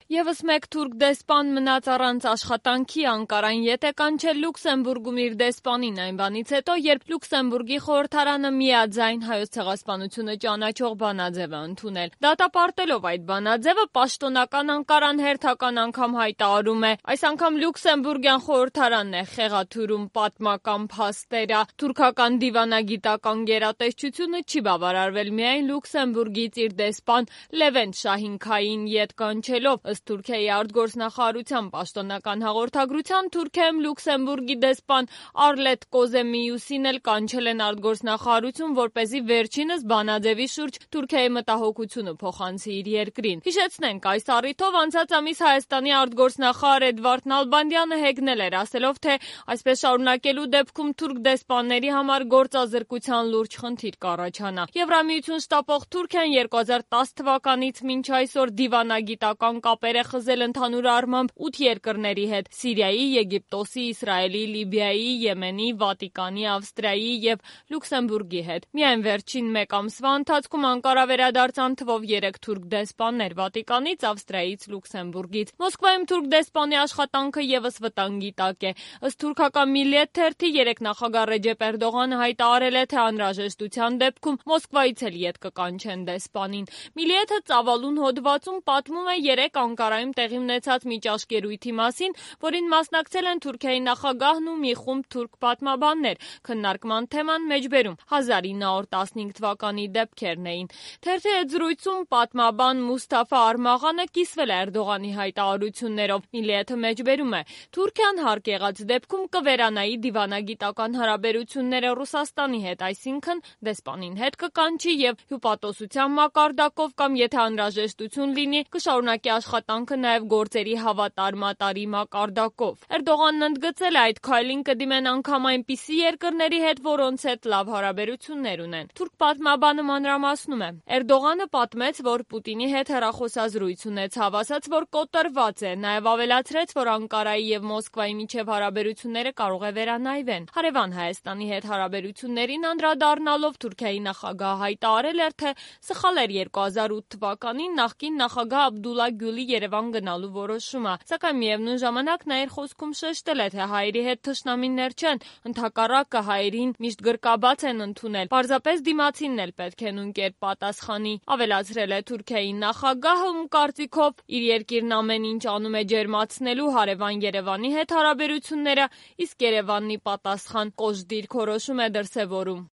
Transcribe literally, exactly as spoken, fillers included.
Եվս մեկ թուրք դեսպան մնաց առանց աշխատանքի Անկարան ետ է կանչել Լյուքսեմբուրգում իր դեսպանին այն բանից հետո, երբ Լյուքսեմբուրգի խորհրդարանը միաձայն Հայոց ցեղասպանությունը ճանաչող բանաձև է ընդունել։ Դատապարտելով այդ բանաձևը, պաշտոնական Անկարան հերթական անգամ հայտարարում է, այս անգամ Լյուքսեմբուրգյան խորհրդարանն է խեղաթյուրում պատմական փաստերը։ Թուրքական դիվանագիտական գերատեսչությունը չի բավարարվել միայն Լյուքսեմբուրգից իր դեսպան Լևենտ Շահինքային ետ կանչելով, ըստ Թուրքիայի արտգործնախարարության պաշտոնական հաղորդագրության, Թուրքիայում Լյուքսեմբուրգի դեսպան Արլետ Կոզեմիուսին էլ կանչել են արտգործնախարարություն, որպեսզի վերջինս բանաձևի շուրջ Թուրքիայի մտահոգությունը փոխանցի իր երկրին։ Հիշեցնենք, այս առիթով անցած ամիս Հայաստանի արտգործնախարար Էդվարդ Նալբանդյանը հեգնել էր, ասելով, թե այսպես շարունակելու դեպքում թուրք դեսպանների համար գործազրկության լուրջ խնդիր կառաջանա։ Եվրամիություն շտապող Թուրքիան երկու հազար տաս թվականից մինչ այսօր դիվանագիտական կապեր է խզել ընդհանուր առմամբ ութ երկրների հետ՝ Սիրիայի, Եգիպտոսի, Իսրայելի, Լիբիայի, Եմենի, Վատիկանի, Ավստրիայի եւ Լյուքսեմբուրգի հետ։ Միայն վերջին մեկ ամսվա ընթացքում Անկարա վերադարձան թվով երեք թուրք դեսպաններ՝ Վատիկանից, Ավստրիայից, Լյուքսեմբուրգից։ Մոսկվայում թուրք դեսպանի աշխատանքը եւս վտանգի տակ է։ Ըստ թուրքական Միլիետ թերթի, երեք նախագահ Ռեջեփ Էրդողանը հայտարարել է, թե անհրաժեշտության դեպքում Մոսկվայից էլ ետ կկանչեն դեսպանին։ Միլիեթը ծավալուն հոդվածում պատմում է երեք Անկարայում տեղի ունեցած միջազգերույթի մասին, որին մասնակցել են Թուրքիայի նախագահն ու մի խումբ թուրք պատմաբաններ։ Քննարկման թեման մեջբերում հազար ինը հարյուր տասնհինգ թվականի դեպքերն էին։ Թերթի հետ զրույցում պատմաբան Մուսթաֆա Արմաղանը կիսվել է Էրդողանի հայտարարություններով։ Միլիեթը մեջբերում է. Թուրքիան հարկ եղած դեպքում կվերանայի դիվանագիտական հարաբերությունները Ռուսաստանի հետ, այսինքն դեսպանին հետ կկանչի եւ հյուպատոսության մակարդակով կամ եթե անհրաժեշտություն լինի, կշարունակի աշխատանքը նաև գործերի հավատարմատարի մակարդակով։ Էրդողանն ընդգծել է, այդ քայլին կդիմեն անգամ այնպիսի երկրների հետ, որոնց հետ լավ հարաբերություններ ունեն։ Թուրք պատմաբանը մանրամասնում է. Էրդողանը պատմեց, որ Պուտինի հետ հեռախոսազրույց ունեցավ, ասաց, որ կոտրված է, նաև ավելացրեց, որ Անկարայի եւ Մոսկվայի միջև հարաբերությունները կարող է վերանայվեն։ Հարևան Հայաստանի հետ հարաբերություններին անդրադառնալով Թուրքիայի նախագահը հայտարարել էր, թե սխալ էր երկու հազար ութ թվականին նախկին նախագահ Աբդուլլա Գյուլի Երևան գնալու որոշումը, սակայն միևնույն ժամանակ նա իր խոսքում շեշտել է, թե հայերի հետ թշնամիներ չեն, ընդհակառակը հայերին միշտ գրկաբաց են ընդունել, պարզապես դիմացինն էլ պետք է նույն կերպ պատասխանի։ Ավելացրել է Թուրքիայի նախագահը, ում կարծիքով իր երկիրն ամեն ինչ անում է ջերմացնելու հարևան Երևանի հետ հարաբերությունները, իսկ Երևանի պատասխան կոշտ դիրքորոշում է դրսևորում։